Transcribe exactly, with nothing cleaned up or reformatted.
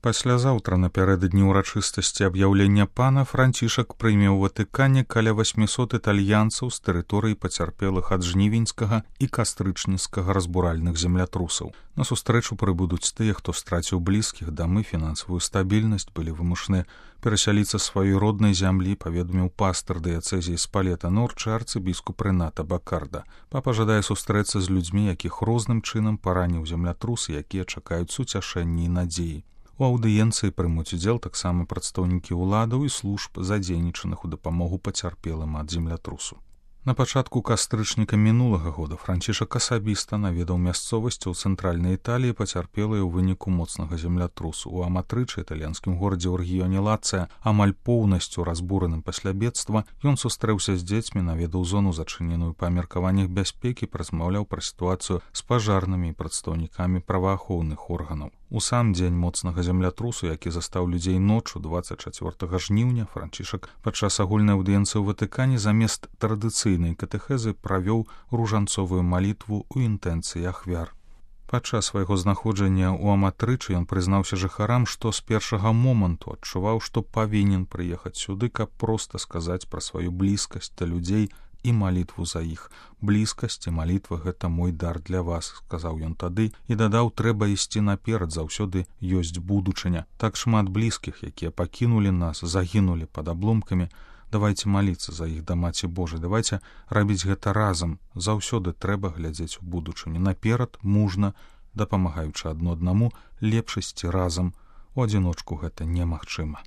Паслязаўтра напярэдадні ўрачыстасці аб'яўлення пана Францішак прыме ў Ватыкане каля восьмісот італьянцаў з тэрыторыі пацярпелых ад жнівеньскага і кастрычніцкага разбуральных землятрусаў. На сустрэчу прыбудуць тыя, хто страціў блізкіх, дамы, фінансавую стабільнасць, былі вымушаны перасяліцца сваёй роднай зямлі, паведаміў пастар дыяцэзіі Спалета Норчы арцыбіскуп Рэната Бакарда. Папа жадае сустрэцца з людзьмі, якіх розным чынам параніў землятрус, якія чакаюць суцяшэння і надзеі. У аўдыенцыі прымуць удзел таксама прадстаўнікі ўладаў і служб, задзейнічаных у дапамогу пацярпелым ад землятрусу. На пачатку кастрычніка мінулага года Францішак асабіста наведаў мясцовасці ў цэнтральнай Італіі, пацярпелыя ў выніку моцнага землятрусу. У Аматрычы, італьянскім горадзе ў рэгіёне Лацыя, амаль поўнасцю разбураным пасля бедства, ён сустрэўся з дзецьмі, наведаў зону, зачыненую па меркаваннях бяспекі, празмаўляў пра сітуацыю з пажарнымі і прадстаўнікамі праваахоўных органаў. У сам дзень моцнага землятрусу, які застаў людзей ноччу дваццаць чацвёртага жніўня, Францішак падчас агульнай аўдыенцыі ў Ватыкане замест традыцыйнай катэхезы правёў ружанцовую малітву ў інтэнцыі ахвяр. Падчас свайго знаходжання ў Аматрычы ён прызнаўся жыхарам, што з першага моманту адчуваў, што павінен прыехаць сюды, каб проста сказаць пра сваю блізкасць да людзей і малітву за іх. Блізкасць і малітва — гэта мой дар для вас, сказаў ён тады, і дадаў, трэба ісці наперад, заўсёды ёсць будучыня. Так шмат блізкіх, якія пакінулі нас, загінулі пад абломкамі. Давайце маліцца за іх да Маці Божай, давайце рабіць гэта разам. Заўсёды трэба глядзець у будучыню. Наперад, мужна, дапамагаючы адно аднаму, лепш ісці разам. У адзіночку гэта немагчыма.